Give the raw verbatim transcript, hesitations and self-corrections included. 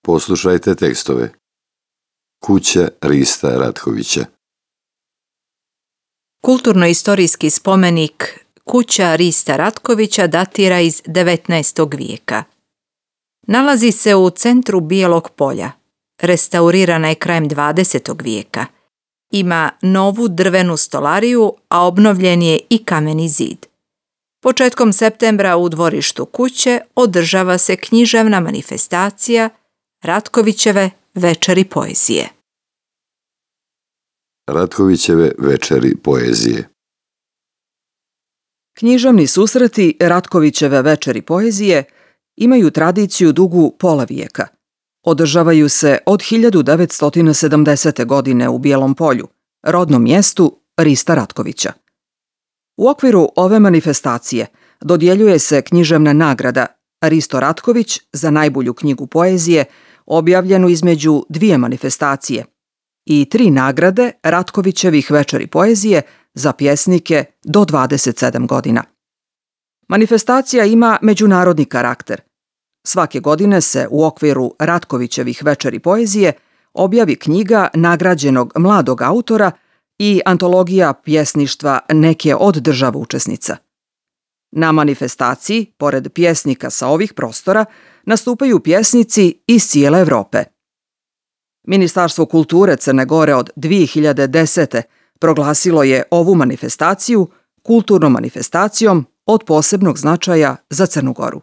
Poslušajte tekstove. Kuća Rista Ratkovića. Kulturno-istorijski spomenik Kuća Rista Ratkovića datira iz devetnaestog vijeka. Nalazi se u centru Bijelog polja. Restaurirana je krajem dvadesetog vijeka. Ima novu drvenu stolariju, a obnovljen je i kameni zid. Početkom septembra u dvorištu kuće održava se književna manifestacija Ratkovićeve večeri poezije. Ratkovićeve večeri poezije. Književni susreti Ratkovićeve večeri poezije imaju tradiciju dugu pola vijeka. Održavaju se od hiljadu devetsto sedamdesete. godine u Bijelom polju, rodnom mjestu Rista Ratkovića. U okviru ove manifestacije dodjeljuje se književna nagrada Risto Ratković za najbolju knjigu poezije, objavljenu između dvije manifestacije, i tri nagrade Ratkovićevih večeri poezije za pjesnike do dvadeset sedam godina. Manifestacija ima međunarodni karakter. Svake godine se u okviru Ratkovićevih večeri poezije objavi knjiga nagrađenog mladog autora i antologija pjesništva neke od država učesnica. Na manifestaciji, pored pjesnika sa ovih prostora, nastupaju pjesnici iz cijele Evrope. Ministarstvo kulture Crne Gore od dvije hiljade desete. proglasilo je ovu manifestaciju kulturnom manifestacijom od posebnog značaja za Crnu Goru.